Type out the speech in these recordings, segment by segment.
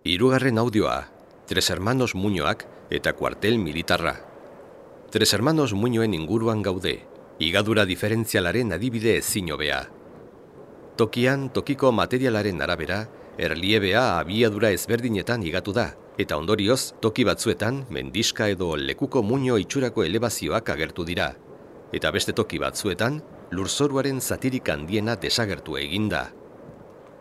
Hirugarren audioa, Tres Hermanos Muñoak eta kuartel militarra. Tres Hermanos Muñoen inguruan gaude, higadura diferentzialaren adibide ezin hobea. Tokian, tokiko materialaren arabera, erliebea abiadura ezberdinetan higatu da, eta ondorioz, toki batzuetan, mendiska edo lekuko muño itxurako elebazioak agertu dira. Eta beste toki batzuetan, lurzoruaren zatirik handiena desagertu eginda.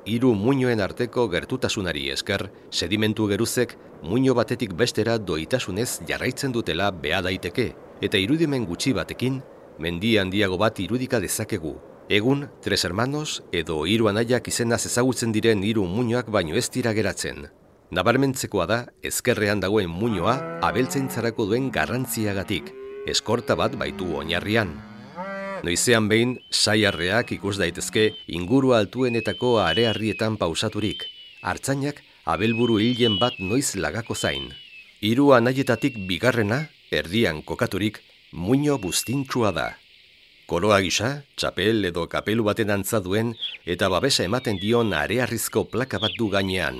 Hiru muñoen arteko gertutasunari esker, sedimentu geruzek muño batetik bestera doitasunez jarraitzen dutela beha daiteke, eta irudimen gutxi batekin, mendi handiago bat irudika dezakegu. Egun, Tres Hermanos edo hiru anaiak izenaz ezagutzen diren hiru muñoak baino ez dira geratzen. Nabarmentzekoa da, ezkerrean dagoen muñoa abeltzaintzarako duen garrantziagatik, eskorta bat baitu oinarrian. Noizean behin, saiarreak ikus daitezke inguru altuenetako arearrietan pausaturik. Artzainak abelburu hilen bat noiz lagako zain. Hiru anaietatik bigarrena, erdian kokaturik, muño buztintsua da. Koroa gisa, txapel edo kapelu baten antza duen eta babesa ematen dion arearrizko plaka bat du gainean.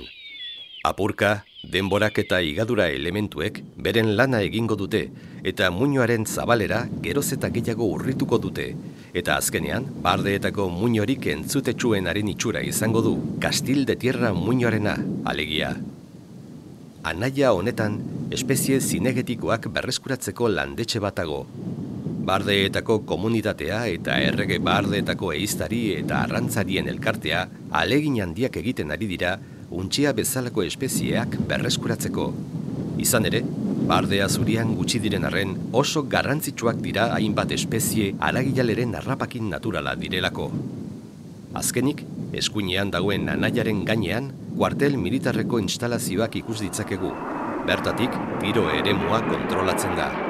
Apurka, denborak eta higadura elementuek beren lana egingo dute eta muñoaren zabalera geroz eta gehiago urrituko dute. Eta azkenean, bardeetako muñorik entzutetsuenaren itxura izango du, Kastil de Tierra muñoarena, alegia. Anaia honetan, espezie zinegetikoak berreskuratzeko landetxe batago. Bardeetako komunitatea eta errege bardeetako ehiztari eta arrantzarien elkartea ahalegin handiak egiten ari dira untxia bezalako espezieak berreskuratzeko. Izan ere, bardea zurian gutxi diren arren oso garrantzitsuak dira hainbat espezie haragilaleren harrapakin naturala direlako. Azkenik, eskuinean dagoen anaiaren gainean, kuartel militarreko instalazioak ikus ditzakegu. Bertatik, tiro eremua kontrolatzen da.